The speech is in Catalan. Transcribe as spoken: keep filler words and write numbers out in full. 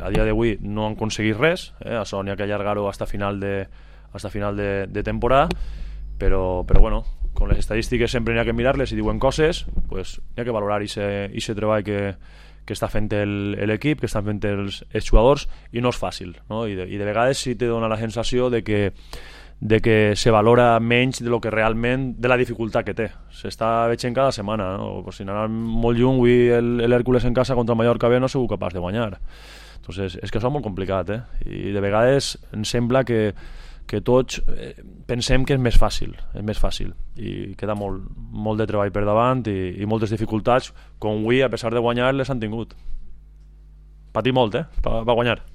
A dia d'avui no han aconseguit res, eh? Això n'hi ha que allargar-ho hasta final de, hasta final de, de temporada, però, però bueno, con les estadístiques sempre n'hi ha que mirar-les, i diuen coses, pues n'hi ha que valorar aquest treball que, que està fent l'equip, que estan fent els, els jugadors, i no és fàcil, no? I, de, i de vegades sí te dona la sensació de que de que se valora menys de lo que realment, de la dificultat que té. S'està veient cada setmana, no? Pues si n'anà molt lluny, avui l'Hèrcules en casa contra el Mallorca B no ha sigut capaç de guanyar. Entonces, és que això és molt complicat, eh? I de vegades em sembla que, que tots eh, pensem que és més fàcil, és més fàcil, i queda molt, molt de treball per davant i, i moltes dificultats, com avui, a pesar de guanyar, les han tingut. Patir molt, eh? Per, per guanyar.